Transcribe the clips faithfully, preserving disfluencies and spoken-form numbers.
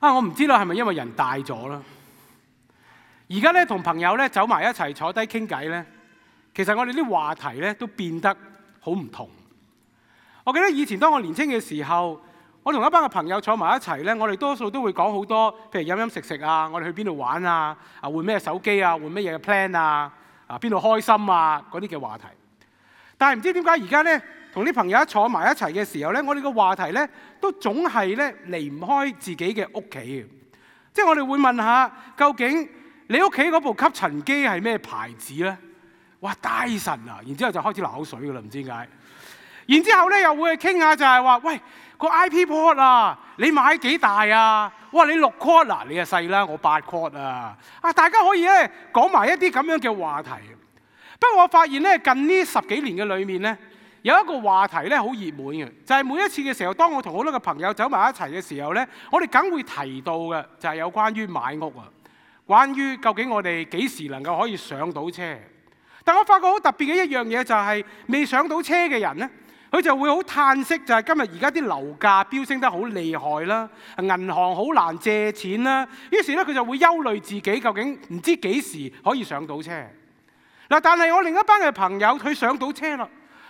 啊，我唔知道係咪因為人大咗啦。而家咧同朋友咧走埋一齊坐低傾偈咧，其實我哋啲話題咧都變得好唔同。我記得以前當我年輕嘅時候，我同一班嘅朋友坐埋一齊咧，我哋多數都會講好多，譬如飲飲食食啊，我哋去邊度玩啊，啊換咩手機啊，換乜嘢嘅 plan 啊，啊邊度開心啊嗰啲嘅話題。但係唔知點解而家咧同啲朋友一坐埋一齊嘅時候咧，我哋嘅話題咧都總係咧離唔開自己嘅屋企嘅。即係我哋會問下，究竟你屋企嗰部吸塵機係咩牌子咧？哇，Dyson啊！然之後就開始流口水噶啦，唔知點解。然之後咧又會去傾下就係話，喂個 I P Pod 啊，你買幾大啊？哇，你六 quad 啊，你啊細啦，我八 quad 啊！啊，大家可以咧講埋一啲咁樣嘅話題。不過我發現咧近呢十幾年嘅裏面咧，有一個話題咧好熱門嘅，就係每一次嘅時候，當我同好多嘅朋友走埋一齊嘅時候咧，我哋梗會提到嘅就係有關於買屋啊，關於究竟我哋幾時能夠可以上到車。但我發覺好特別嘅一樣嘢就係未上到車嘅人咧，佢就會好嘆息，就係今日而家啲樓價飆升得好厲害啦，銀行好難借錢啦，於是咧佢就會憂慮自己究竟唔知幾時可以上到車。嗱，但係我另一班嘅朋友佢上到車啦，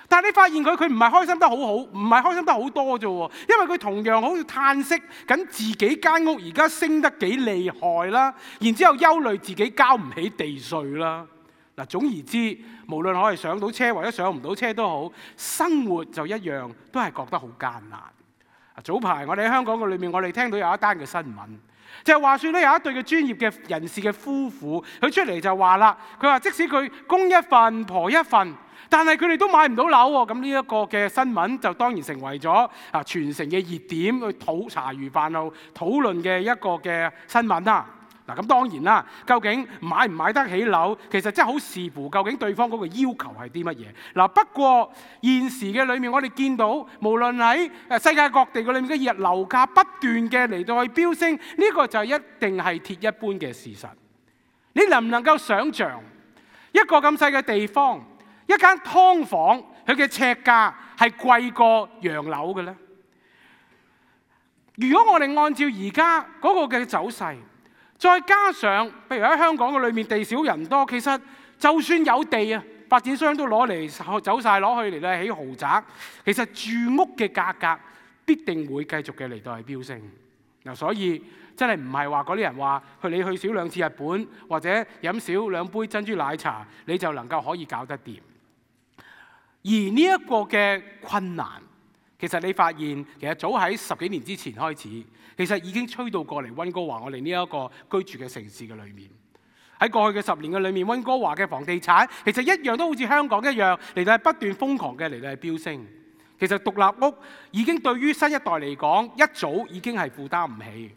但係你發現佢佢唔係開心得好好，唔係開心得好多啫喎，因為佢同樣好似嘆息緊自己間屋而家升得幾厲害啦，然之後憂慮自己交唔起地稅啦。嗱，總而之，無論我係上到車或者上唔到車都好，生活就一樣都係覺得好艱難。早排我哋喺香港嘅裏面，我哋聽到有一單嘅新聞，就係話説咧有一對嘅專業嘅人士嘅夫婦，佢出嚟就話啦，佢話即使佢公一份婆一份，但係佢哋都買唔到樓喎。咁呢一個嘅新聞就當然成為咗啊全城嘅熱點，去討茶餘飯後討論嘅一個嘅新聞啦。嗱，咁當然啦，究竟買唔買得起樓，其實真係好視乎究竟對方嗰個要求係啲乜嘢。嗱，不過現時嘅裏面，我哋見到無論喺誒世界各地嘅裏面嘅日樓價不斷嘅嚟到去飆升，呢個就一定係鐵一般嘅事實。你能唔能夠想像一個咁細嘅地方，一間劏房，佢嘅尺價係貴過洋樓嘅咧？如果我哋按照而家嗰個嘅走勢，再加上，譬如喺香港嘅裏面地少人多，其實就算有地啊，發展商都攞嚟走晒攞去嚟咧起豪宅。其實住屋嘅價格必定會繼續嘅嚟到係飆升。嗱，所以真係唔係話嗰啲人話去你去少兩次日本或者飲少兩杯珍珠奶茶，你就能夠可以搞得掂。而呢一個嘅困難，其實你發現其實早喺十幾年之前開始。其實已經吹到過嚟溫哥華我哋呢一個居住嘅城市嘅裏面。喺過去嘅十年嘅裏面，溫哥華嘅房地產其實一樣都好似香港一樣嚟到係不斷瘋狂嘅嚟到係飆升。其實獨立屋已經對於新一代嚟講一早已經係負擔唔起。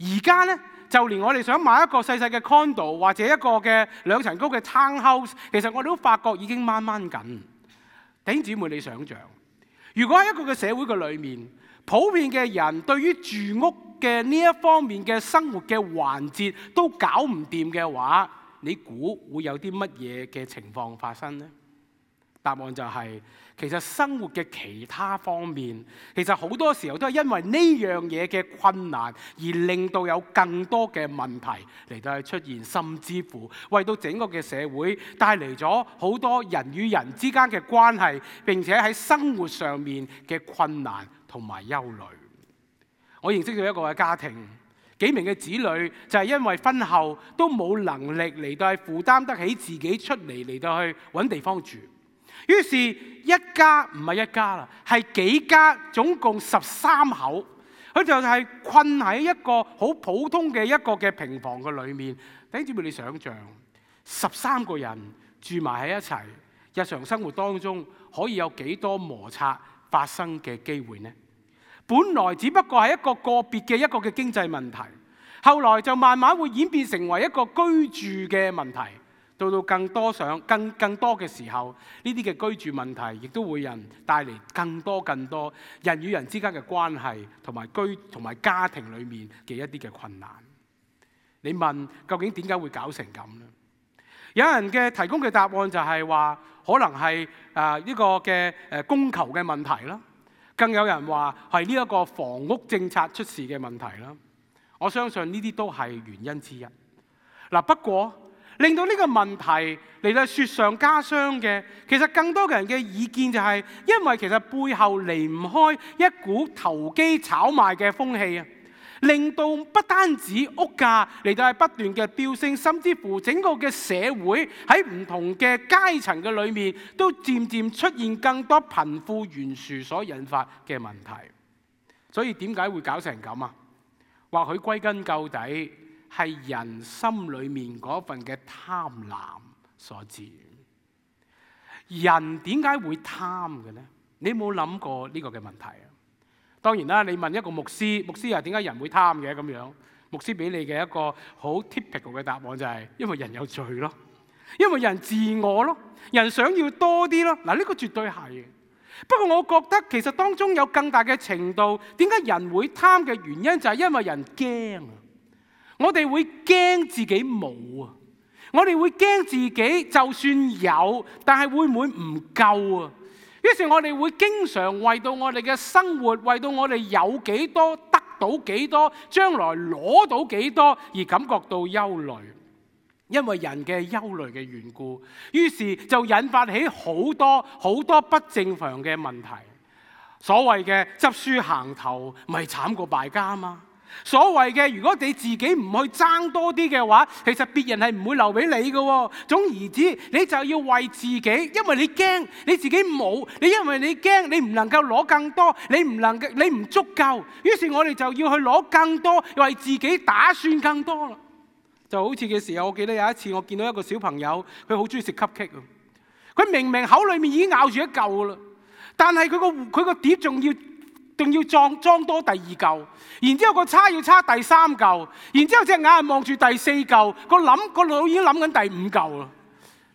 而家呢，就連我哋想買一個細細嘅 condo 或者一個嘅兩層高嘅 townhouse， 其實我哋都發覺已經掹掹緊。弟兄姊妹，你想象如果喺一個嘅社會嘅裏面，普遍嘅人對於住屋嘅呢一方面嘅生活嘅環節都搞唔掂嘅話，你估會有啲乜嘢嘅情況發生呢？答案就係，其實生活嘅其他方面，其實好多時候都係因為呢樣嘢嘅困難，而令到有更多嘅問題嚟到去出現，甚至乎為到整個嘅社會帶嚟咗好多人與人之間嘅關係，並且喺生活上面嘅困難同埋憂慮。我認識到一個嘅家庭，幾名嘅子女就係因為婚後都冇能力嚟到去負擔得起自己出嚟嚟到去揾地方住，於是一家唔係一家啦，係幾家，總共十三口，佢就係困喺一個好普通嘅一個嘅平房嘅裏面。弟兄姊妹，你想象十三個人住埋喺一齊，日常生活當中可以有幾多摩擦發生嘅機會呢？本來只不過係一個個別嘅一個嘅經濟問題，後來就慢慢會演變成為一個居住嘅問題，到到更多上更更多嘅時候，呢啲嘅居住問題亦都會人帶嚟更多更多人與人之間嘅關係同埋居同埋家庭裏面嘅一啲嘅困難。你問究竟點解會搞成咁呢？有人嘅提供嘅答案就係話，可能係誒呢個嘅誒供求嘅問題啦。更有人話係呢一個房屋政策出事嘅問題啦。我相信呢啲都係原因之一。嗱，不過令到呢個問題嚟到雪上加霜嘅，其實更多嘅人嘅意見就係，因為其實背後離唔開一股投機炒賣嘅風氣啊，令到不單止屋價嚟到係不斷嘅飆升，甚至乎整個嘅社會喺唔同嘅階層嘅裏面，都漸漸出現更多貧富懸殊所引發嘅問題。所以點解會搞成咁啊？或許歸根究底係人心裏面嗰份嘅貪婪所致。人點解會貪嘅呢？你有冇諗過呢個嘅問題啊？當然啦，你問一個牧師，牧師又點解人會貪嘅咁樣？牧師俾你嘅一個好 typical 嘅答案就係因為人有罪咯，因為人自我咯，人想要多啲咯。嗱，呢個絕對係。不過我覺得其實當中有更大嘅程度，點解人會貪嘅原因就係因為人驚啊！我哋會驚自己冇啊！我哋會驚自己就算有，但係會唔會唔夠啊？於是我哋會經常為到我哋嘅生活，為到我哋有幾多得到幾多，將來攞到幾多而感覺到憂慮。因為人嘅憂慮嘅緣故，於是就引發起好多好多不正常嘅問題。所謂嘅執輸行頭，咪慘過敗家嘛。所謂嘅如果你自己唔去爭多啲嘅話，其實別人係唔會留俾你嘅。總而之，你就要為自己，因為你驚你自己冇，你因為你驚你唔能夠攞更多，你唔能夠你唔足夠，於是我哋就要去攞更多，為自己打算更多啦。就好似嘅時候，我記得有一次我見到一個小朋友，佢好中意食 cupcake 啊！佢明明口裏面已經咬住一嚿啦，但係佢個佢個碟仲要仲要裝裝多第二嚿，然之後個叉要叉第三嚿，然之後隻眼係望住第四嚿，個諗個腦已經諗緊第五嚿啦。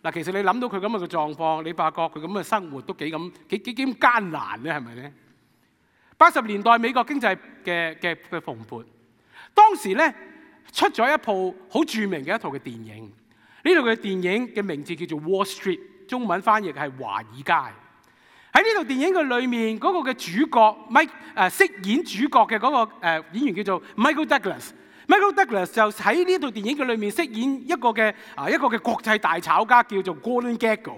嗱，其實你諗到佢咁嘅狀況，你發覺佢咁嘅生活都幾咁幾幾幾咁艱難咧，係咪咧？八十年代美國經濟嘅嘅嘅蓬勃，當時咧，出咗一部好著名嘅一套嘅電影，呢套嘅電影嘅名字叫做 Wall Street， 中文翻譯係華爾街。喺呢套電影嘅裏面，嗰、那個嘅主角 Mike 誒飾演主角嘅嗰個誒演員叫做 Michael Douglas。Michael Douglas 就喺呢套電影嘅裏面飾演一個嘅啊一個嘅國際大炒家叫做 Gordon Gekko。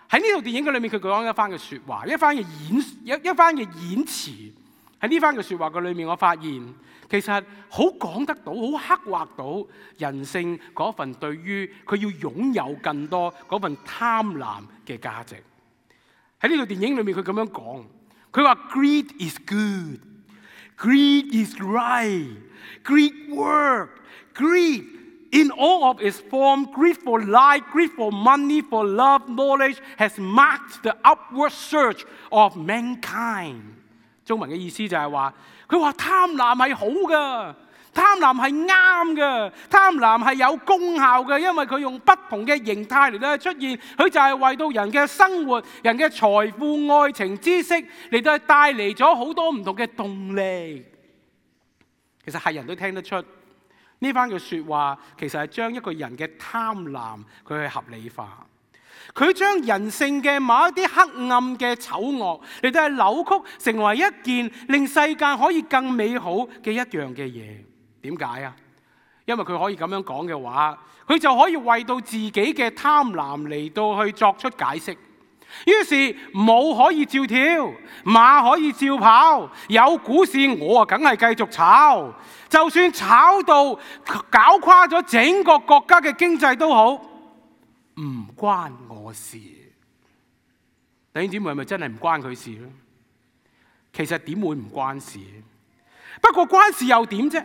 喺呢套電影嘅裏面，佢講一番嘅説話，一番嘅演一一番嘅演詞。喺呢番嘅説話嘅裏面，我發現其實好講得到，好刻畫到人性嗰份對於佢要擁有更多嗰份貪婪嘅價值。喺呢套電影裏面，佢咁樣講，佢話 Greed is good, greed is right, greed work, greed in all of its form, greed for life, greed for money, for love, knowledge has marked the upward surge of mankind。中文嘅意思就係話，佢話貪婪係好嘅，貪婪係啱嘅，貪婪係有功效嘅，因為佢用不同嘅形態嚟到出現，佢就係為到人嘅生活、人嘅財富、愛情、知識嚟到帶嚟咗好多唔同嘅動力。其實係人都聽得出呢番嘅説話，其實係將一個人嘅貪婪佢去合理化。佢將人性嘅某一啲黑暗嘅醜惡嚟到係扭曲，成為一件令世界可以更美好嘅一樣嘅嘢。點解啊？因為佢可以咁樣講嘅話，佢就可以為到自己嘅貪婪嚟到去作出解釋。於是舞可以照跳，馬可以照跑，有股市我啊梗係繼續炒，就算炒到搞垮咗整個國家嘅經濟都好，唔關我事。弟兄姊妹，係咪真係唔關佢事咧？其實點會唔關事？不過關事又點啫？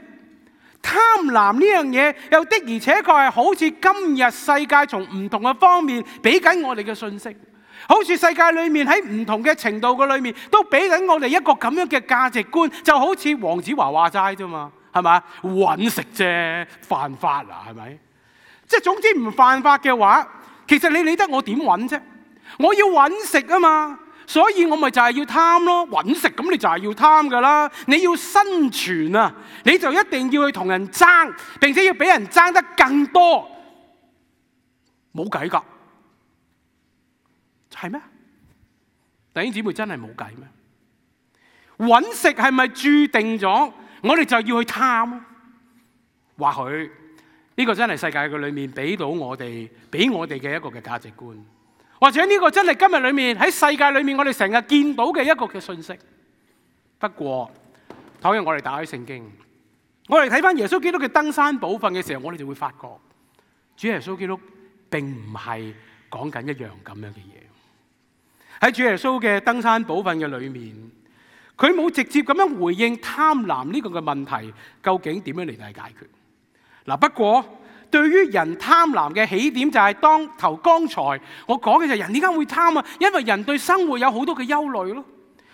貪婪呢樣嘢又的而且確係好似今日世界從唔同嘅方面俾緊我哋嘅信息，好似世界裏面喺唔同嘅程度嘅裏面都俾緊我哋一個咁樣嘅價值觀，就好似黃子華話齋啫嘛，係咪？揾食啫，犯法啊，係咪？即係總之唔犯法嘅話，其實你理得我點揾啫？我要揾食啊嘛，所以我咪就係要貪咯。揾食咁你就係要貪噶啦，你要生存啊，你就一定要去同人爭，並且要俾人爭得更多，冇計噶，係咩？弟兄姊妹，真係冇計咩？揾食係咪注定咗我哋就要去貪啊？或許呢個真係世界嘅裏面俾到我哋，俾我哋嘅一個嘅價值觀，或者呢個真係今日裏面喺世界裏面我哋成日見到嘅一個嘅信息。不過，倘若我哋打開聖經，我哋睇翻耶穌基督嘅登山寶訓嘅時候，我哋就會發覺，主耶穌基督並唔係講緊一樣咁樣嘅嘢。喺主耶穌嘅登山寶訓嘅裏面，佢冇直接咁樣回應貪婪呢個嘅問題，究竟點樣嚟到解決？嗱，不過對於人貪婪嘅起點就係當頭剛才我講嘅就係人點解會貪啊？因為人對生活有好多嘅憂慮咯。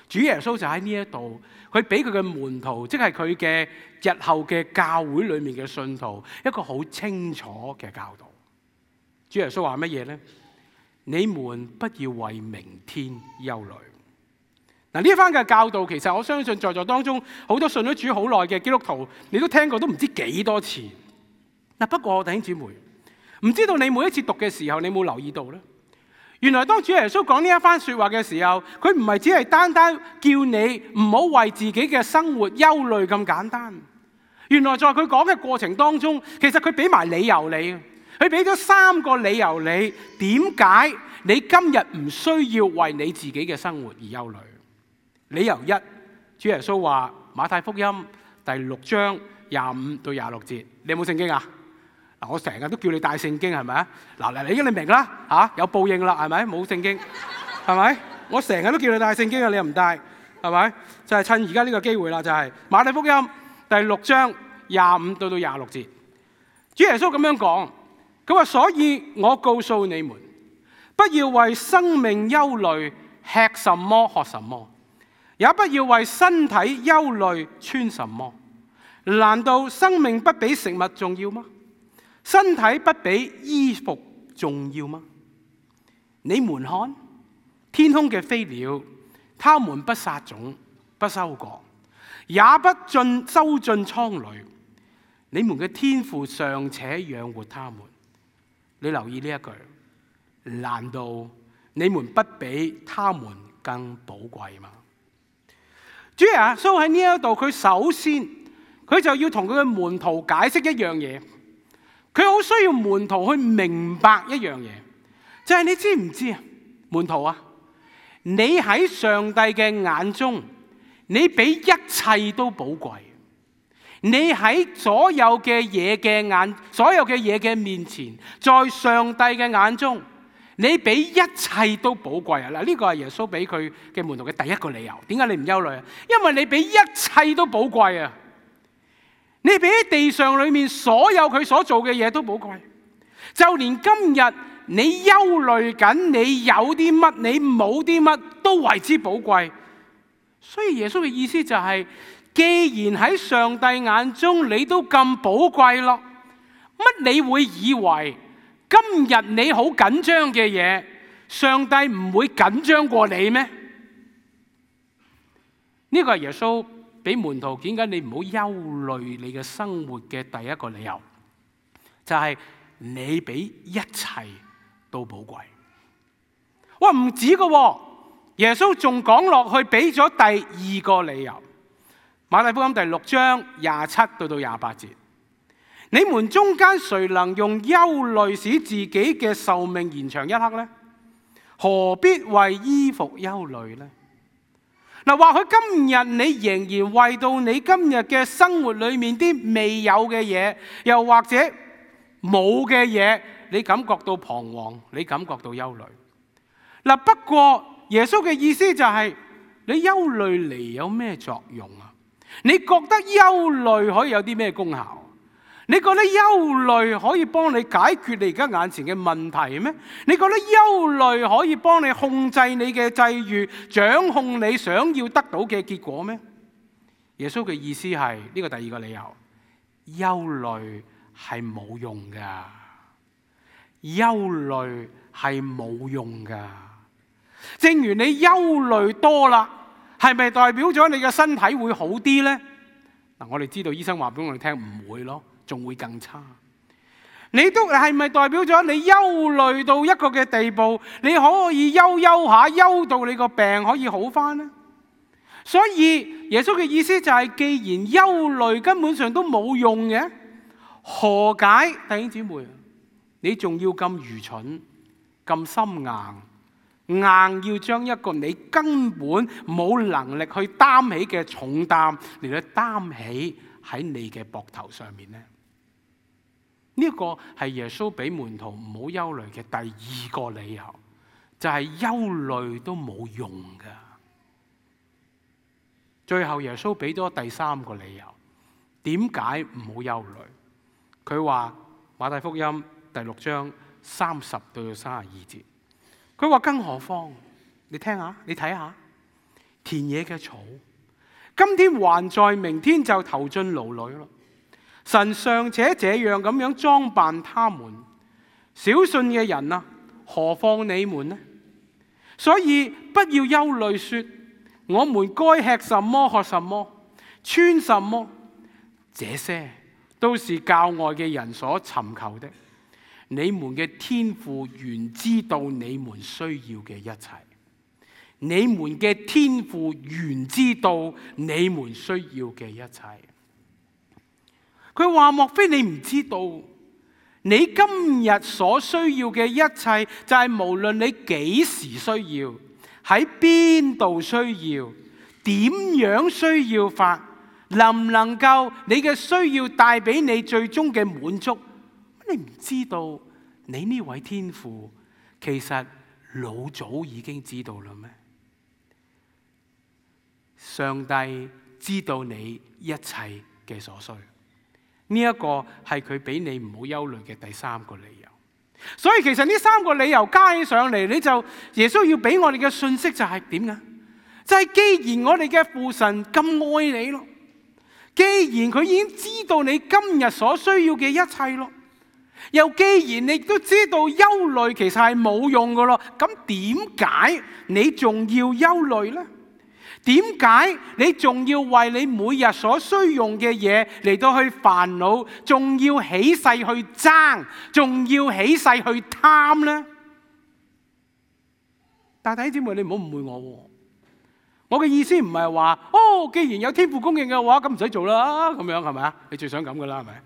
主耶穌就喺呢一度，佢俾佢嘅門徒，即係佢嘅日後嘅教會裏面嘅信徒，一個好清楚嘅教導。主耶穌話乜嘢呢？你們不要為明天憂慮。嗱，呢一番嘅教導，其實我相信在座當中好多信咗主好耐嘅基督徒，你都聽過都唔知幾多次。嗱，不過弟兄姊妹，唔知道你每一次讀嘅時候，你有冇留意到呢？原來當主耶穌講呢一番說話嘅時候，佢唔係只係單單叫你唔好為自己嘅生活憂慮咁簡單。原來在佢講嘅過程當中，其實佢俾埋理由你，佢俾咗三個理由你，點解你今日唔需要為你自己嘅生活而憂慮。理由一，主耶穌話馬太福音第六章廿五到廿六節，你有冇聖經啊？嗱，我成日都叫你帶聖經，係咪啊？嗱，嚟，你已經你明啦，嚇有報應啦，係咪？冇聖經，係咪？我成日都叫你帶聖經啊，你又唔帶，係咪？就係趁而家呢個機會啦，就係馬太福音第六章廿五到到廿六節，主耶穌咁樣講，佢話：所以我告訴你們，不要為生命憂慮，吃什麼喝什麼，也不要為身體憂慮穿什麼。難道生命不比食物重要嗎？身體不比衣服重要嗎？你們看天空嘅飛鳥，他們不撒種，不收割，也不進收進倉裏，你們嘅天父尚且養活他們。你留意呢一句，難道你們不比他們更寶貴嗎？主耶穌喺呢一度，佢首先佢就要同佢嘅門徒解釋一樣嘢。佢好需要門徒去明白一樣嘢，就係你知唔知啊？門徒啊，你喺上帝嘅眼中，你比一切都寶貴。你喺所有嘅嘢嘅眼，所有嘅嘢嘅面前，在上帝嘅眼中，你比一切都寶貴啊！嗱，呢個係耶穌俾佢嘅門徒嘅第一個理由。點解你唔憂慮啊？因為你比一切都寶貴啊！你比喺地上裏面所有佢所做嘅嘢都寶貴，就連今日你憂慮緊，你有啲乜，你冇啲乜，都為之寶貴。所以耶穌嘅意思就係，既然喺上帝眼中你都咁寶貴咯，乜你會以為今日你好緊張嘅嘢，上帝唔會緊張過你咩？呢個係耶穌俾門徒點解你唔好憂慮你嘅生活嘅第一個理由，就係你比一切都寶貴。哇，唔止噶，耶穌仲講落去俾咗第二個理由。馬太福音第六章廿七到到廿八節，你們中間誰能用憂慮使自己嘅壽命延長一刻呢？何必為衣服憂慮呢？嗱，或許今日你仍然為到你今日嘅生活裏面啲未有嘅嘢，又或者冇嘅嘢，你感覺到彷徨，你感覺到憂慮。嗱，不過耶穌嘅意思就係，你憂慮嚟有咩作用啊？你覺得憂慮可以有啲咩功效？你覺得憂慮可以幫你解決你而家眼前嘅問題咩？你覺得憂慮可以幫你控制你嘅際遇，掌控你想要得到嘅結果咩？耶穌嘅意思係呢個第二個理由，憂慮係冇用噶，憂慮係冇用噶。正如你憂慮多啦，係咪代表咗你嘅身體會好啲呢？嗱，我哋知道醫生話俾我哋聽唔會咯，仲會更差。你都係咪代表咗你憂慮到一個嘅地步，你可以憂憂下，憂到你個病可以好翻呢？所以耶穌嘅意思就係，既然憂慮根本上都冇用嘅，何解弟兄姊妹，你仲要咁愚蠢、咁心硬，硬要將一個你根本冇能力去擔起嘅重擔嚟到擔起喺你嘅膊頭上面呢？呢一個係耶穌俾門徒唔好憂慮嘅第二個理由，就係憂慮都冇用噶。最後耶穌俾咗第三個理由，點解唔好憂慮？佢話馬太福音第六章三十到三十二節，佢話更何況，你聽下，你睇下田野嘅草，今天還在，明天就投進爐裏咯。神尚且這樣咁樣裝扮他們，小信嘅人啊，何況你們呢？所以不要憂慮說，我們該吃什麼、喝什麼、穿什麼，這些都是教外嘅人所尋求的。你們嘅天父原知道你們需要嘅一切，你們嘅天父原知道你們需要嘅一切。佢話：莫非你唔知道，你今日所需要嘅一切，就係無論你幾時需要，喺邊度需要，點樣需要法，能唔能夠你嘅需要帶俾你最終嘅滿足？你唔知道，你呢位天父其實老早已經知道啦咩？上帝知道你一切嘅所需。呢一個係佢俾你唔好憂慮嘅第三個理由。所以其實呢三個理由加起上嚟，你就耶穌要俾我哋嘅信息就係點呀？就係既然我哋嘅父神咁愛你咯，既然佢已經知道你今日所需要嘅一切咯，又既然你都知道憂慮其實係冇用噶咯，咁點解你仲要憂慮呢？點解你仲要為你每日所需用嘅嘢嚟到去煩惱，仲要起勢去爭，仲要起勢去貪呢？但弟兄姊妹，你唔好誤會我，我嘅意思唔係話哦，既然有天父供應嘅話，咁唔使做啦，咁樣係咪啊？你最想咁噶啦，係咪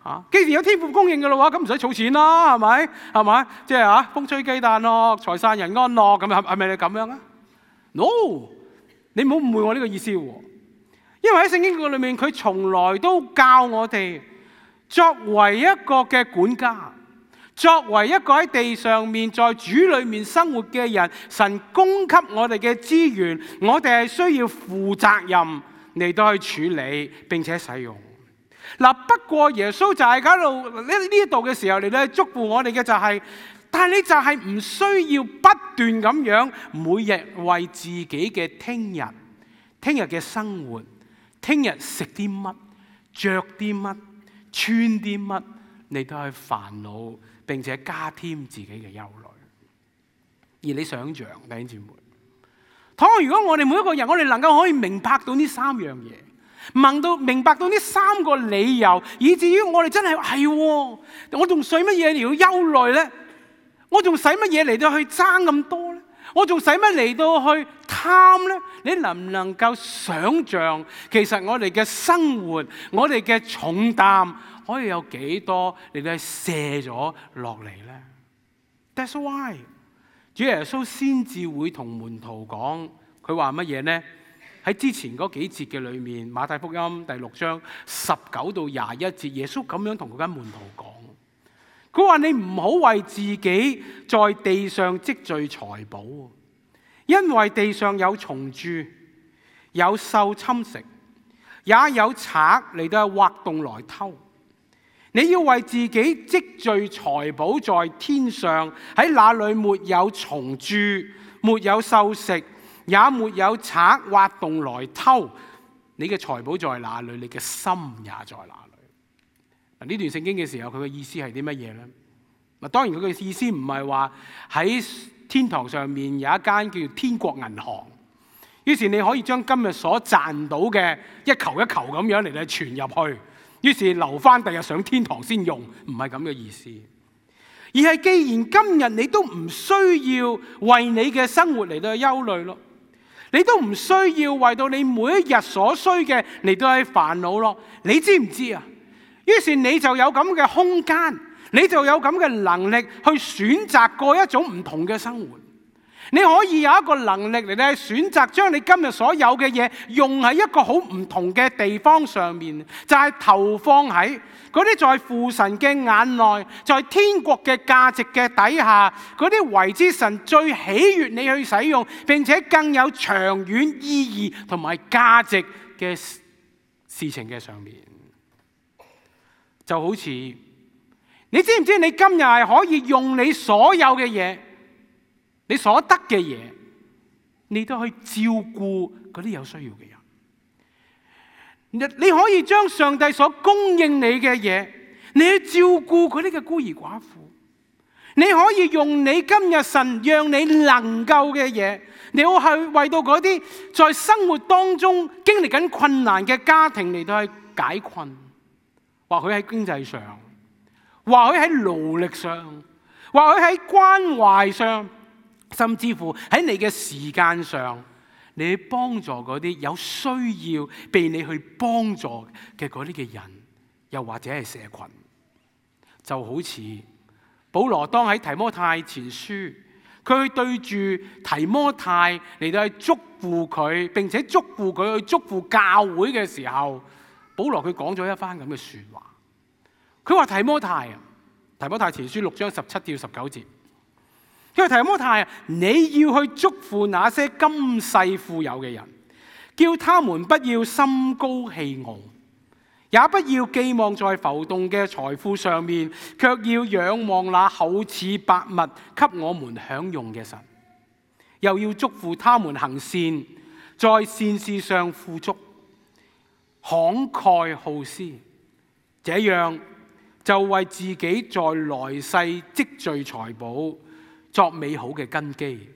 啊？既然有天父供應嘅話，咁唔使儲錢啦，係咪？係咪？即係啊，風吹雞蛋咯，財散人安樂，咁係係咪你咁樣啊 ？No。你唔好誤會我呢個意思喎，因為喺聖經裏面，佢從來都教我哋作為一個嘅管家，作為一個喺地上面在主裏面生活嘅人，神供給我哋嘅資源，我哋係需要負責任嚟到去處理並且使用。嗱，不過耶穌就係喺度呢呢度嘅時候嚟到去祝福我哋嘅就係、是。但係你就係唔需要不斷咁樣每日為自己嘅聽日、聽日嘅生活、聽日食啲乜、着啲乜、穿啲乜嚟到去煩惱，並且加添自己嘅憂慮。而你想象，弟兄姊妹，倘若如果我哋每一個人，我哋能夠可以明白到呢三樣嘢，明到明白到呢三個理由，以至於我哋真係係、哎，我仲使乜嘢嚟要憂慮咧？我仲使乜嘢嚟到去爭咁多呢？我仲使乜嚟到去貪呢？你能唔能夠想像，其實我哋嘅生活，我哋嘅重擔可以有幾多嚟到去卸咗落嚟呢？ That's why 主耶穌先至會同門徒講，佢話乜嘢呢？喺之前嗰幾節嘅裏面，馬太福音第六章十九到廿一節，耶穌咁樣同佢間門徒講。佢話：你唔好為自己在地上積聚財寶，因為地上有蟲蛀，有獸侵蝕，也有賊嚟到挖洞來偷。你要為自己積聚財寶在天上，喺那裡沒有蟲蛀，沒有獸食，也沒有賊挖洞來偷。你嘅財寶在哪裡，你嘅心也在哪裡。呢段聖經嘅時候，佢嘅意思係啲乜嘢呢？嗱，當然佢嘅意思唔係話喺天堂上面有一間叫天國銀行，於是你可以將今日所賺到嘅一球一球咁樣嚟嚟存入去，於是留翻第日上天堂先用，唔係咁嘅意思。而係既然今日你都唔需要為你嘅生活嚟到去憂慮咯，你都唔需要為到你每一日所需嘅嚟到去煩惱咯，你知唔知啊？於是你就有咁嘅空間，你就有咁嘅能力去選擇過一種唔同嘅生活。你可以有一個能力嚟咧，選擇將你今日所有嘅嘢用喺一個好唔同嘅地方上面，就係投放喺嗰啲在父神嘅眼內，在天國嘅價值嘅底下，嗰啲為之神最喜悅你去使用，並且更有長遠意義同埋價值嘅事情嘅上面。就好似你知唔知你今日係可以用你所有嘅嘢，你所得嘅嘢，你都可以照顧嗰啲有需要嘅人。你可以將上帝所供應你嘅嘢，你去照顧嗰啲嘅孤兒寡婦。你可以用你今日神讓你能夠嘅嘢，你要去為到嗰啲在生活當中經歷緊困難嘅家庭嚟到去解困。或許喺經濟上，或許喺勞力上，或許喺關懷上，甚至乎喺你嘅時間上，你去幫助嗰啲有需要被你去幫助嘅嗰啲嘅人，又或者係社群。就好似保羅當喺提摩太前書，佢去對住提摩太嚟到去祝福佢，並且祝福佢去祝福教會嘅時候，保羅佢講咗一番咁嘅說話。佢話提摩太啊，提摩太前書六章十七至十九節，佢話提摩太啊，你要去祝福那些今世富有嘅人，叫他們不要心高氣傲，也不要寄望在浮動嘅財富上面，卻要仰望那厚賜百物給我們享用嘅神。又要祝福他們行善，在善事上富足，慷慨好施，這樣就為自己在來世積聚財寶，作美好嘅根基，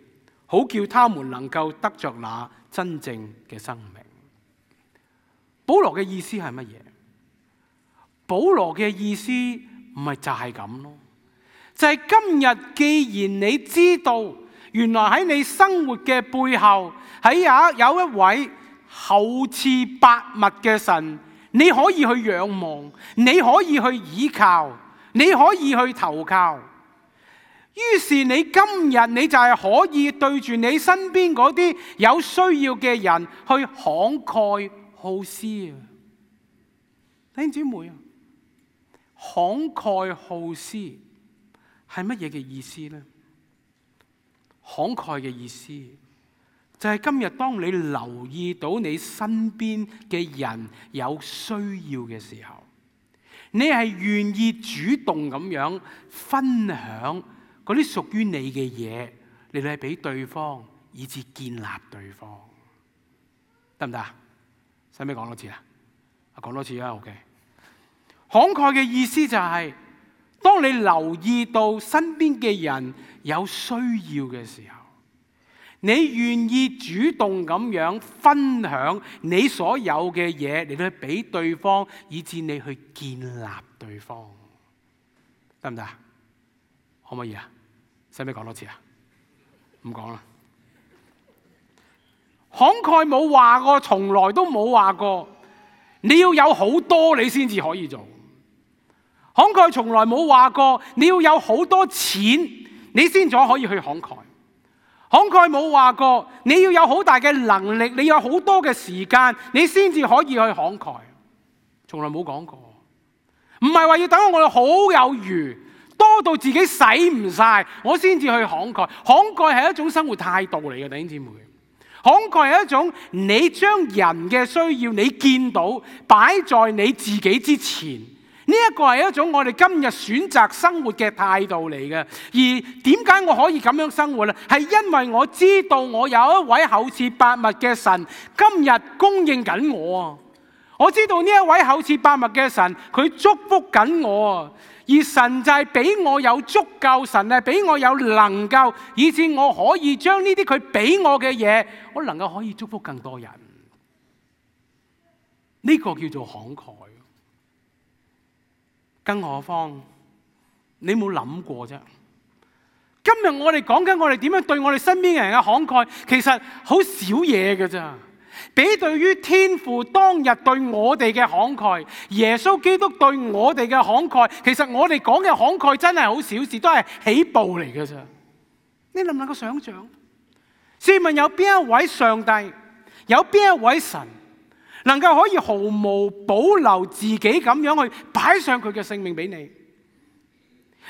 好叫他們能夠得着那真正嘅生命。保羅嘅意思係乜嘢？保羅嘅意思唔係就係咁咯，就係今日既然你知道，原來喺你生活嘅背後，喺有有一位厚賜百物嘅神，你可以去仰望，你可以去倚靠，你可以去投靠。於是你今日你就係可以對住你身邊嗰啲有需要嘅人去慷慨好施啊！弟兄姊妹啊，慷慨好施係乜嘢嘅意思呢？慷慨嘅意思就係今日當你留意到你身邊嘅人有需要嘅時候，你係願意主動咁樣分享嗰啲屬於你嘅嘢嚟嚟俾對方，以至建立對方，得唔得啊？使唔使講多次啊？講多次啊 ，OK。慷慨嘅意思就係、是，當你留意到身邊嘅人有需要嘅時候，你願意主動咁樣分享你所有嘅嘢嚟去俾對方，以至你去建立對方，得唔得？可唔可以啊？使唔使講多次啊？唔講啦。慷慨冇話過，從來都冇話過，你要有好多你先至可以做。慷慨從來冇話過，你要有好多錢你先至可以去慷慨。慷慨冇話過，你要有好大嘅能力，你有好多嘅時間，你先至可以去慷慨。從來冇講過，唔係話要等我哋好有餘，多到自己使唔晒，我先至去慷慨。慷慨係一種生活態度嚟嘅，弟兄姊妹。慷慨係一種你將人嘅需要你見到擺在你自己之前。呢一個係一種我哋今日選擇生活嘅態度嚟嘅，而點解我可以咁樣生活呢？係因為我知道我有一位厚賜百物嘅神，今日供應緊我啊！我知道呢一位厚賜百物嘅神，佢祝福緊我啊！而神就係俾我有足夠，神係俾我有能夠，以致我可以將呢啲佢俾我嘅嘢，我能夠可以祝福更多人。呢個叫做慷慨。更何況，你冇諗過啫？今日我哋講緊我哋點樣對我哋身邊嘅人嘅慷慨，其實好少嘢㗎咋。比對於天父當日對我哋嘅慷慨，耶穌基督對我哋嘅慷慨，其實我哋講嘅慷慨真係好小事，都係起步嚟嘅啫。你能唔能夠想象？試問有邊一位上帝，有邊一位神，能夠可以毫無保留自己咁樣去擺上佢嘅性命俾你？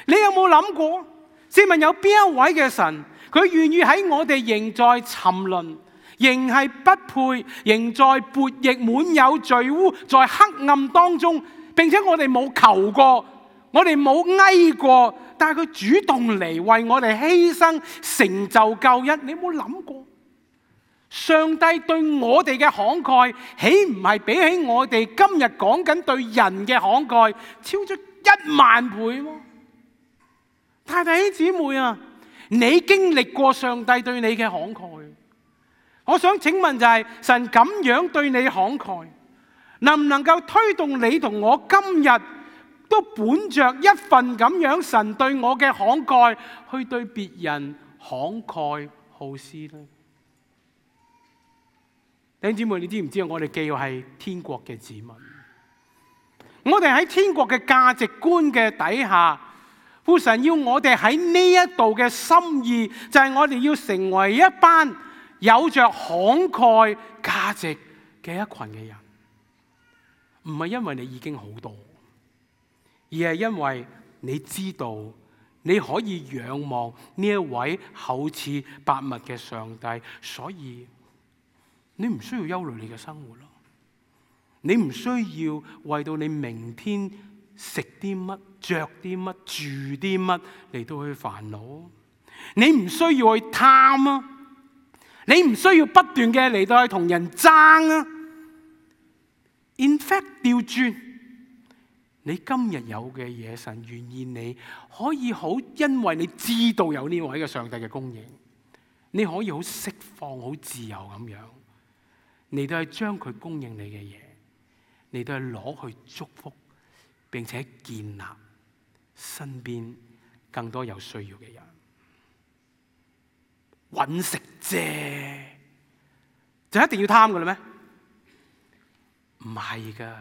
你有冇諗過？試問有邊一位嘅神，佢願意喺我哋仍在沉淪，仍係不配，仍在悖逆滿有罪污，在黑暗當中，並且我哋冇求過，我哋冇哀過，但係佢主動嚟為我哋犧牲，成就救恩。你有冇諗過？上帝對我哋嘅慷慨，豈唔係比起我哋今日講緊對人嘅慷慨，超出一萬倍嗎？太太兄姊妹啊，你經歷過上帝對你嘅慷慨，我想請問就係、是、神咁樣對你慷慨，能唔能夠推動你同我今日都本着一份咁樣神對我嘅慷慨，去對別人慷慨好施呢？弟兄姊妹，你知唔知道我哋既要係天國嘅子民，我哋喺天國嘅價值觀嘅底下，父神要我哋喺呢一度嘅心意，就係我哋要成為一班有着慷慨價值嘅一群嘅人，唔係因為你已經好多，而係因為你知道你可以仰望呢一位厚賜百物嘅上帝，所以你唔需要憂慮你嘅生活咯，你唔需要為到你明天食啲乜、着啲乜、住啲乜嚟到去煩惱，你唔需要去貪啊，你唔需要不斷嘅嚟到去同人爭啊。In fact， 調轉，你今日有嘅嘢，神願意你可以好，因為你知道有呢位嘅上帝嘅供應，你可以好釋放、好自由咁樣。你都係將佢供應你嘅嘢，你都係攞去祝福，並且建立身邊更多有需要嘅人。搵食啫，就一定要貪㗎喇咩？唔係㗎。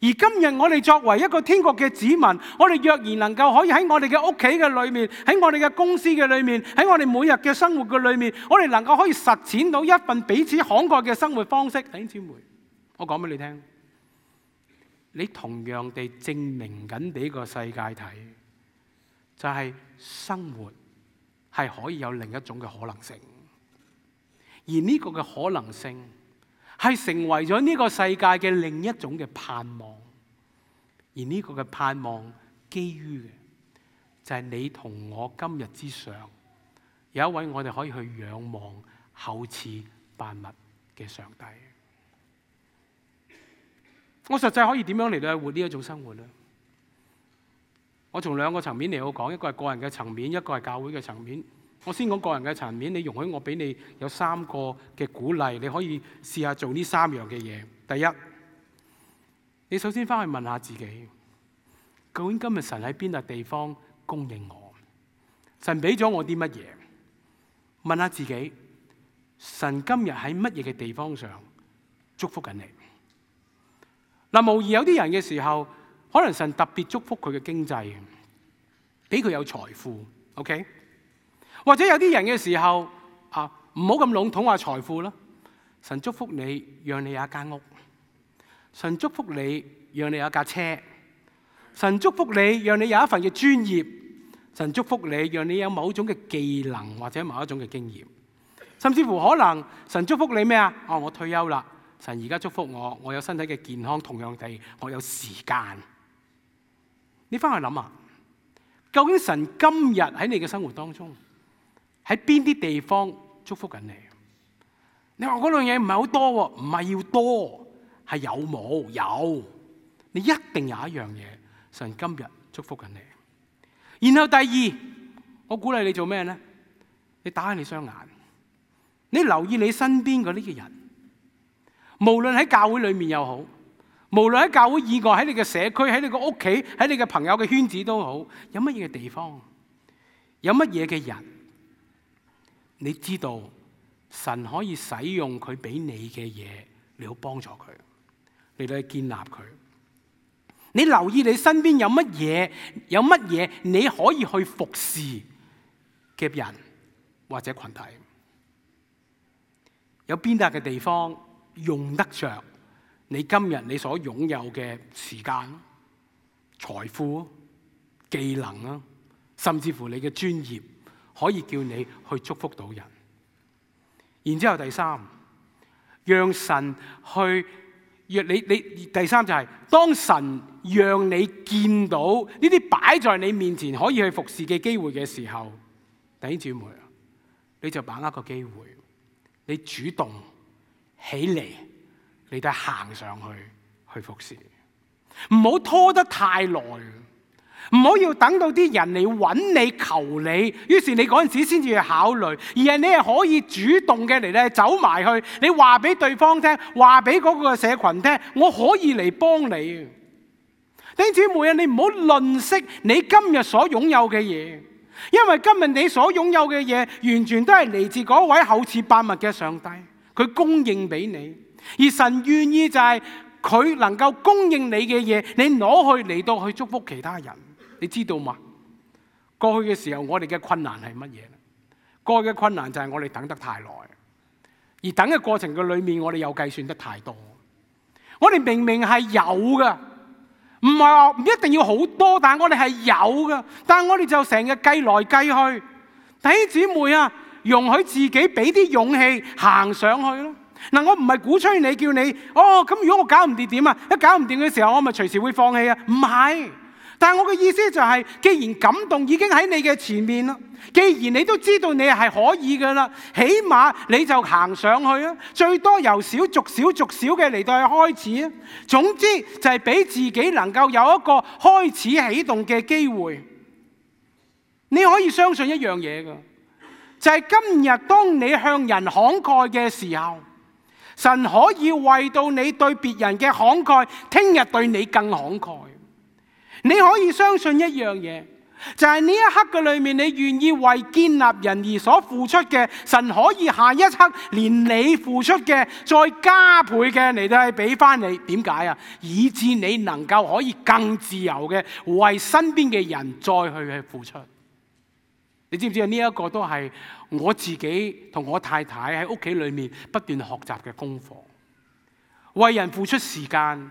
而今日我哋作為一個天國嘅子民，我哋若然能夠可以喺我哋嘅屋企嘅裏面，喺我哋嘅公司嘅裏面，喺我哋每日嘅生活嘅裏面，我哋能夠可以實踐到一份彼此慷慨嘅生活方式。弟兄姊妹，我講俾你聽，你同樣地證明緊俾個世界睇，就係生活係可以有另一種嘅可能性，而呢個嘅可能性係成為咗呢個世界嘅另一種嘅盼望，而呢個嘅盼望基於嘅就係你同我今日之上有一位我哋可以去仰望厚賜萬物嘅上帝。我實際可以點樣嚟到去活呢一種生活呢？我從兩個層面嚟到講，一個係個人嘅層面，一個係教會嘅層面。我先講個人嘅層面，你容許我俾你有三個嘅鼓勵，你可以試下做呢三樣嘅嘢。第一，你首先翻去問下自己，究竟今日神喺邊笪地方供應我？神俾咗我啲乜嘢？問下自己，神今日喺乜嘢嘅地方上祝福緊你？嗱，無疑有啲人嘅時候，可能神特別祝福佢嘅經濟，俾佢有財富 ，OK？或者有啲人嘅時候啊，唔好咁籠統話財富啦。神祝福你，讓你有一間屋；神祝福你，讓你有一架車；神祝福你，讓你有一份嘅專業；神祝福你，讓你有某種嘅技能或者某一種嘅經驗。甚至乎可能神祝福你咩啊？哦，我退休啦，神而家祝福我，我有身體嘅健康，同樣地，我有時間。你翻去諗下，究竟神今日喺你嘅生活當中，喺邊啲地方祝福緊你？你話嗰樣嘢唔係好多喎，唔係要多，係有冇？有，你一定有一樣嘢，神今日祝福緊你。然後第二，我鼓勵你做咩咧？你打開你雙眼，你留意你身邊嗰啲嘅人，無論喺教會裏面又好，無論喺教會以外，喺你嘅社區，喺你個屋企，喺你嘅朋友嘅圈子都好，有乜嘢嘅地方，有乜嘢嘅人？你知道神可以使用佢俾你嘅嘢嚟好幫助佢，嚟到去建立佢。你留意你身邊有乜嘢，有乜嘢你可以去服侍嘅人或者群體，有邊笪嘅地方用得着你今日你所擁有嘅時間、財富、技能啊，甚至乎你嘅專業，可以叫你去祝福到人。然之後第三，讓神去讓你你第三就係、是、當神讓你見到呢啲擺在你面前可以去服侍嘅機會嘅時候，弟兄姊妹啊，你就把握個機會，你主動起嚟，你都行上去去服侍，唔好拖得太耐，唔好要等到啲人嚟揾你求你，於是你嗰陣時先至去考慮，而係你係可以主動嘅嚟咧走埋去，你話俾對方聽，話俾嗰個社群聽，我可以嚟幫你。弟兄姊妹啊，你唔好吝嗇你今日所擁有嘅嘢，因為今日你所擁有嘅嘢完全都係嚟自嗰位厚賜百物嘅上帝，佢供應俾你，而神願意就係佢能夠供應你嘅嘢，你攞去嚟到去祝福其他人。你知道嗎？過去嘅時候，我哋嘅困難係乜嘢？過去嘅困難就係我哋等得太耐，而等嘅過程嘅裏面，我哋又計算得太多。我哋明明係有嘅，唔係話唔一定要好多，但係我哋係有嘅，但係我哋就成日計來計去。弟兄姊妹啊，容許自己俾啲勇氣行上去咯。嗱，我唔係鼓吹你，叫你哦，咁如果我搞唔掂點啊？一搞唔掂嘅時候，我咪隨時會放棄啊？唔係。但係我嘅意思就係，既然感動已經喺你嘅前面啦，既然你都知道你係可以㗎啦，起碼你就行上去啊！最多由小逐小逐小嘅嚟到去開始啊！總之就係俾自己能夠有一個開始啟動嘅機會。你可以相信一樣嘢㗎，就係今日當你向人慷慨嘅時候，神可以為到你對別人嘅慷慨，聽日對你更慷慨。你可以相信一樣嘢，就係呢一刻嘅裏面，你願意為建立人而所付出嘅，神可以下一刻連你付出嘅再加倍嘅嚟到去俾翻你。點解啊？以致你能夠可以更自由嘅為身邊嘅人再去去付出。你知唔知啊？呢一個都係我自己同我太太喺屋企裏面不斷學習嘅功課。為人付出時間，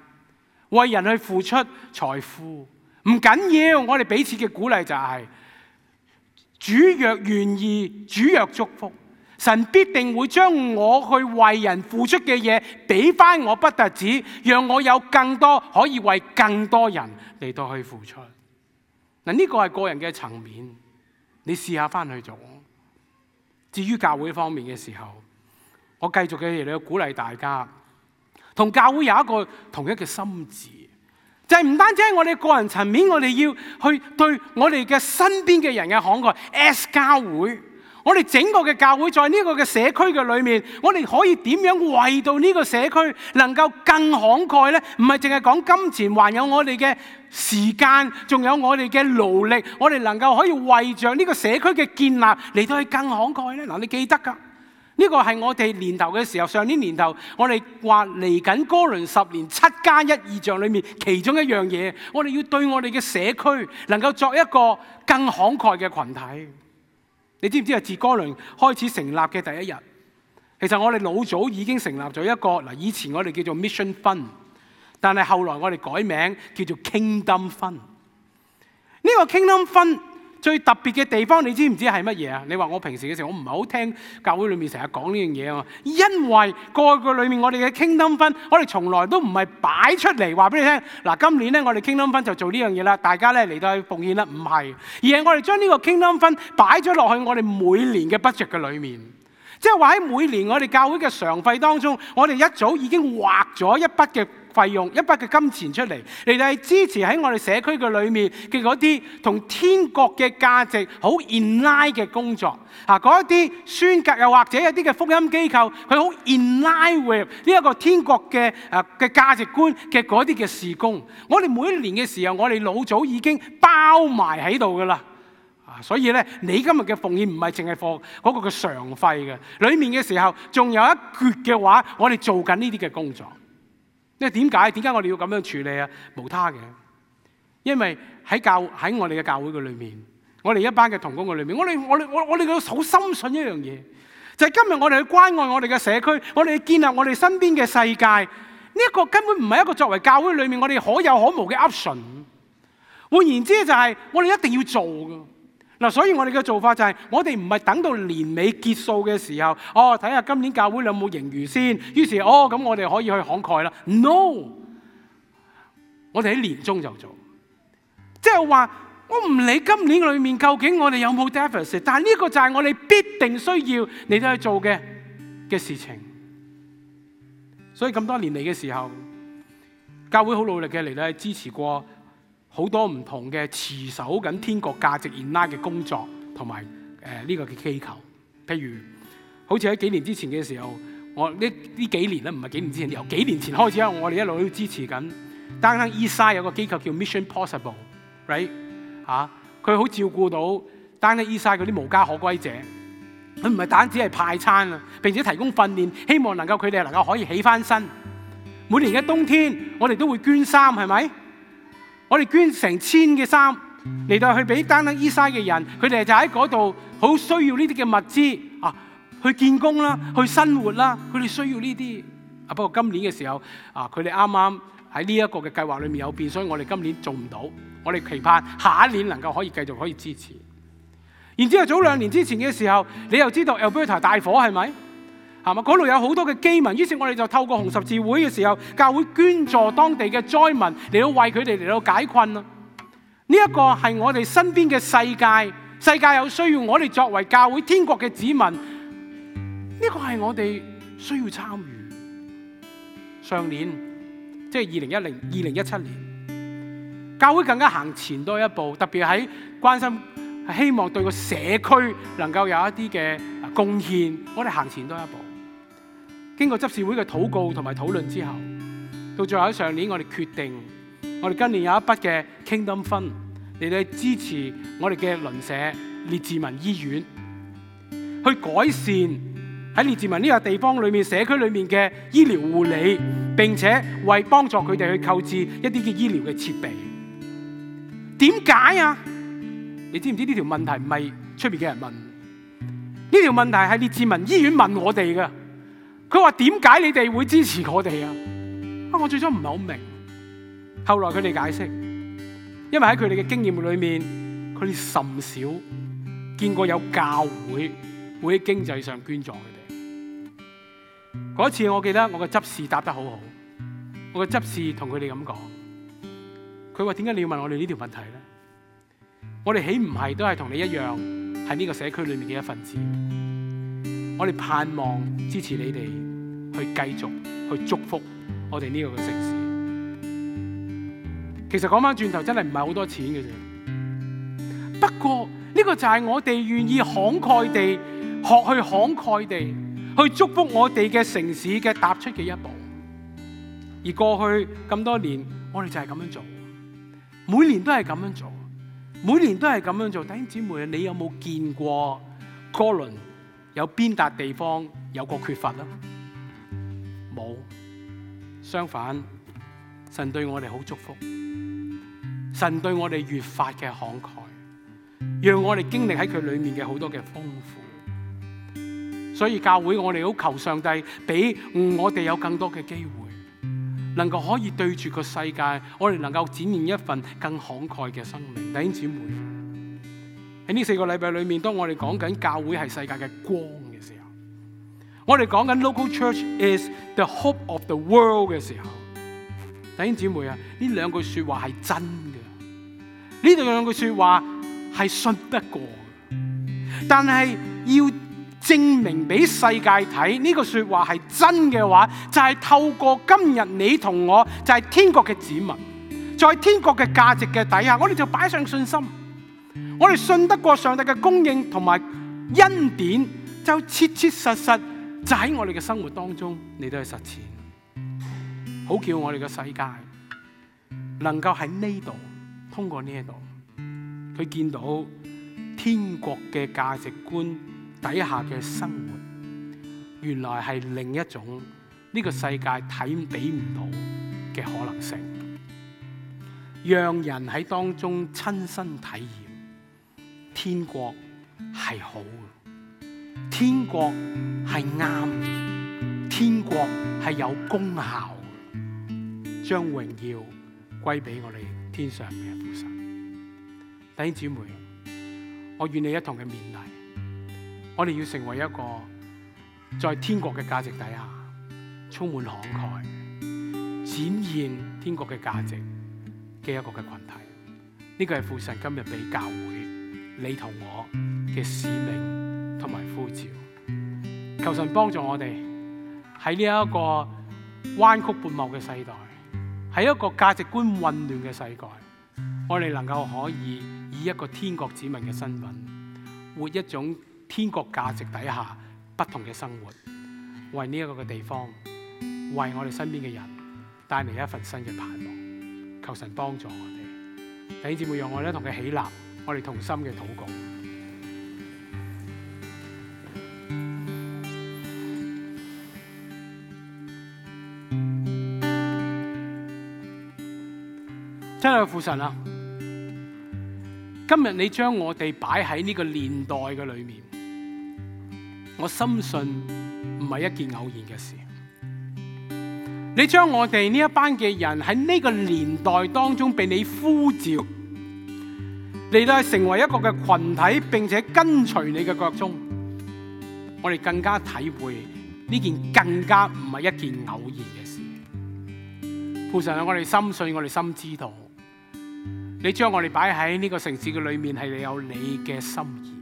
為人去付出財富。唔緊要，我哋彼此嘅鼓勵就係、是、主若願意，主若祝福，神必定會將我去為人付出嘅嘢俾翻我，不特止，讓我有更多可以為更多人嚟到去付出。嗱，呢個係個人嘅層面，你試下翻去做。至於教會方面嘅時候，我繼續嘅嚟到鼓勵大家，同教會有一個同一嘅心志。就係唔單止喺我哋個人層面，我哋要去對我哋嘅身邊嘅人嘅慷慨。as 教會，我哋整個嘅教會在呢個嘅社區嘅裏面，我哋可以點樣為到呢個社區能夠更慷慨呢？唔係淨係講金錢，還有我哋嘅時間，仲有我哋嘅勞力，我哋能夠可以為着呢個社區嘅建立嚟到去更慷慨呢？嗱，你記得㗎。呢個係我哋年頭嘅時候，上年年頭我哋話嚟緊哥倫十年七加一異象裏面其中一樣嘢，我哋要對我哋嘅社區能夠作一個更慷慨嘅群體。你知唔知啊？自哥倫開始成立嘅第一日，其實我哋老早已經成立咗一個嗱，以前我哋叫做 Mission Fund， 但係後來我哋改名叫做 Kingdom Fund。呢個 Kingdom Fund最特別嘅地方，你知唔知係乜嘢啊？你話我平時嘅時候，我唔係好聽教會裏面成日講呢樣嘢啊。因為過去裏面我哋嘅 Kingdom Fund，我哋從來都唔係擺出嚟話俾你聽。嗱，今年咧我哋 Kingdom Fund就做呢樣嘢啦，大家咧嚟到去奉獻啦，唔係，而係我哋將呢個 Kingdom Fund擺咗落去我哋每年嘅 budget 嘅裏面。即係話喺每年我哋教會嘅常費當中，我哋一早已經劃咗一筆嘅費用，一筆嘅金錢出嚟，嚟到係支持喺我哋社區嘅裏面嘅嗰啲同天國嘅價值好 in line 嘅工作。啊，嗰一啲宣教又或者一啲嘅福音機構，佢好 in line with 呢一個天國嘅誒嘅價值觀嘅嗰啲嘅事工。我哋每一年嘅時候，我哋老早已經包埋喺度噶啦。所以咧，你今日嘅奉獻唔係淨係放嗰個嘅常費嘅，裡面嘅時候仲有一橛嘅話，我哋做緊呢啲嘅工作。因為點解？點解我哋要咁樣處理啊？無他嘅，因為喺教喺我哋嘅教會嘅裏面，我哋一班嘅同工嘅裏面，我哋我哋我我哋好深信一樣嘢，就係今日我哋去關愛我哋嘅社區，我哋去建立我哋身邊嘅世界，呢一個根本唔係一個作為教會裏面我哋可有可無嘅 option。換言之，就係我哋一定要做嘅。嗱，所以我哋嘅做法就係，我哋唔係等到年尾結束嘅時候，哦，睇下今年教會有冇盈餘先，於是哦咁我哋可以去慷慨啦。No， 我哋喺年中就做，即係話我唔理今年裏面究竟我哋有冇 deficit， 但係呢個就係我哋必定需要你哋去做嘅嘅事情。所以咁多年嚟嘅時候，教會好努力嘅嚟到去支持過好多唔同嘅持守緊天國價值 in line 嘅工作同埋誒呢個嘅機構，譬如好似喺幾年之前嘅時候，我呢呢幾年咧唔係幾年之前，由幾年前開始啊，我哋一路都支持緊。Downtown Eastside有個機構叫 Mission Possible，right 嚇，佢好照顧到 Downtown Eastside 嗰啲無家可歸者，佢唔係單止係派餐啊，並且提供訓練，希望能夠佢哋能夠可以起翻身。每年嘅冬天，我哋都會捐衫，係咪？我哋捐成千嘅衫嚟到去俾Downtown Eastside嘅人，佢哋就喺嗰度好需要呢啲嘅物資啊，去建工啦，去生活啦，佢哋需要呢啲啊。不過今年嘅時候啊，佢哋啱啱喺呢一個嘅計劃裏面有變，所以我哋今年做唔到。我哋期盼下一年能夠可以繼續可以支持。然之後早兩年之前嘅時候，你又知道 Alberta 大火係咪？係嘛？嗰度有好多嘅饑民，於是我哋就透過紅十字會嘅時候，教會捐助當地嘅災民嚟到為佢哋嚟到解困啊！呢一個係我哋身邊嘅世界，世界有需要，我哋作為教會天國嘅子民，呢個係我哋需要參與。上年即係二零一零、二零一七年，教會更加行前多一步，特別喺關心，希望對個社區能夠有一啲嘅貢獻，我哋行前多一步。經過執事會嘅禱告同埋討論之後，到最後喺上年我哋決定，我哋今年有一筆嘅 Kingdom Fund嚟到支持我哋嘅鄰舍列治文醫院，去改善喺列治文呢個地方裏面社區裏面嘅醫療護理，並且為幫助佢哋去購置一啲嘅醫療嘅設備。點解啊？你知唔知呢條問題唔係出邊嘅人問？呢條問題係列治文醫院問我哋嘅。佢話點解你哋會支持我哋啊？啊，我最初唔係好明，後來佢哋解釋，因為喺佢哋嘅經驗裏面，佢哋甚少見過有教會會喺經濟上捐助佢哋。嗰次我記得我個執事答得好好，我個執事同佢哋咁講，佢話點解你要問我哋呢條問題咧？我哋豈唔係都係同你一樣喺呢個社區裏面嘅一份子？我哋盼望支持你哋去繼續去祝福我哋呢個嘅城市。其實講翻轉頭，真係唔係好多錢嘅啫。不過呢個就係我哋願意慷慨地學去慷慨地去祝福我哋嘅城市嘅踏出嘅一步。而過去咁多年，我哋就係咁樣做，每年都係咁樣做，每年都係咁樣做。弟兄姊妹，你有冇見過哥倫有邊笪地方有過缺乏啦？冇，相反，神對我哋好祝福，神對我哋越發嘅慷慨，讓我哋經歷喺佢裏面嘅好多嘅豐富。所以教會我哋好求上帝俾我哋有更多嘅機會，能夠可以對住個世界，我哋能夠展現一份更慷慨嘅生命。弟兄姊妹，喺呢四個禮拜裏面，當我哋講緊教會係世界嘅光嘅時候，我哋講緊 local church is the hope of the world 嘅時候，弟兄姊妹啊，呢兩句說話係真嘅，呢兩句說話係信得過嘅，但係要證明俾世界睇呢個說話係真嘅話，就係透過今日你同我就係天國嘅子民，在天國嘅價值嘅底下，我哋就擺上信心。我哋信得過上帝嘅供應同埋恩典，就切切實實就喺我哋嘅生活當中你都去實踐，好叫我哋嘅世界能夠喺呢度通過呢一度，佢見到天國嘅價值觀底下嘅生活，原來係另一種呢個世界睇俾唔到嘅可能性，讓人喺當中親身體驗天國係好嘅，天國係啱嘅，天國係有功效嘅，將榮耀歸俾我哋天上嘅父神。弟兄姊妹，我願你一同嘅勉勵，我哋要成為一個在天國嘅價值底下充滿慷慨，展現天國嘅價值嘅一個嘅群體。呢個係父神今日俾教會你同我嘅使命同埋呼召。求神幫助我哋喺呢一個彎曲悖謬嘅世代，喺一個價值觀混亂嘅世界，我哋能夠可以以一個天國子民嘅身份，活一種天國價值底下不同嘅生活，為呢一個嘅地方，為我哋身邊嘅人帶嚟一份新嘅盼望。求神幫助我哋，弟兄姊妹，讓我哋一同佢起立，我哋同心嘅禱告。親愛嘅父神啊，今日你將我哋擺喺呢個年代嘅裏面，我深信唔係一件偶然嘅事。你將我哋呢一班嘅人喺呢個年代當中被你呼召，嚟到成為一個嘅群體，並且跟隨你嘅腳蹤，我哋更加體會呢件更加唔係一件偶然嘅事。父神啊，我哋深信，我哋深知道，你將我哋擺喺呢個城市嘅裏面，係你有你嘅心意。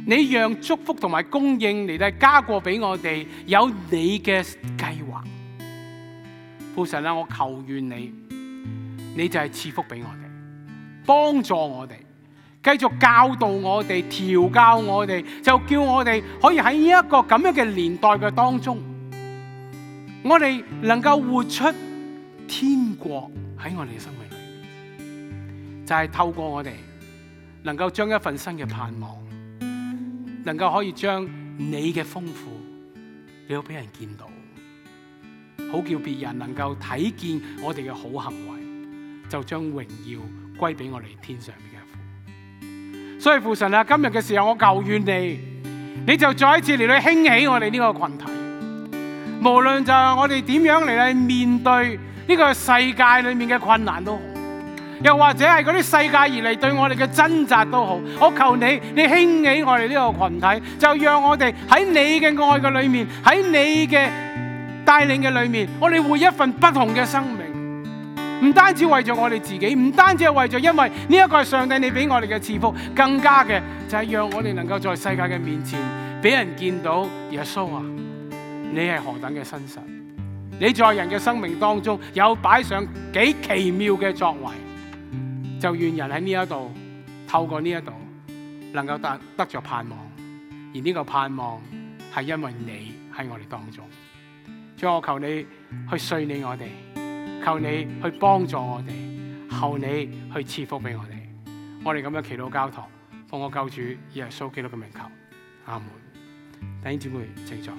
你讓祝福同埋供應嚟到加過俾我哋，有你嘅計劃。父神啊，我求願你，你就係賜福俾我哋，幫助我哋，繼續教導我哋，調教我哋，就叫我哋可以喺呢一個咁樣嘅年代嘅當中，我哋能夠活出天國喺我哋嘅生命裏面，就係透過我哋能夠將一份新嘅盼望，能夠可以將你嘅豐富，你要俾人見到，好叫別人能夠睇見我哋嘅好行為，就將榮耀歸俾我哋天上面嘅父。所以父神啊，今日嘅時候我求願你，你就再一次嚟到興起我哋呢個群體，無論就係我哋點樣嚟去面對呢個世界裏面嘅困難都好，又或者係嗰啲世界而嚟對我哋嘅掙扎都好，我求你，你興起我哋呢個群體，就讓我哋喺你嘅愛嘅裏面，喺你嘅帶領嘅裏面，我哋活一份不同嘅生命。唔單止為咗我哋自己，唔單止係為咗因為呢一個係上帝你俾我哋嘅賜福，更加嘅就係讓我哋能夠在世界嘅面前俾人見到耶穌啊，你係何等嘅真實，你在人嘅生命當中有擺上幾奇妙嘅作為，就願人喺呢一度透過呢一度能夠得得着盼望，而呢個盼望係因為你喺我哋當中。主，我求你去垂念我哋，求你去幫助我哋，求你去賜福俾我哋。我哋咁樣祈禱交託，奉我救主耶穌基督嘅名求，阿門。弟兄姊妹，請坐。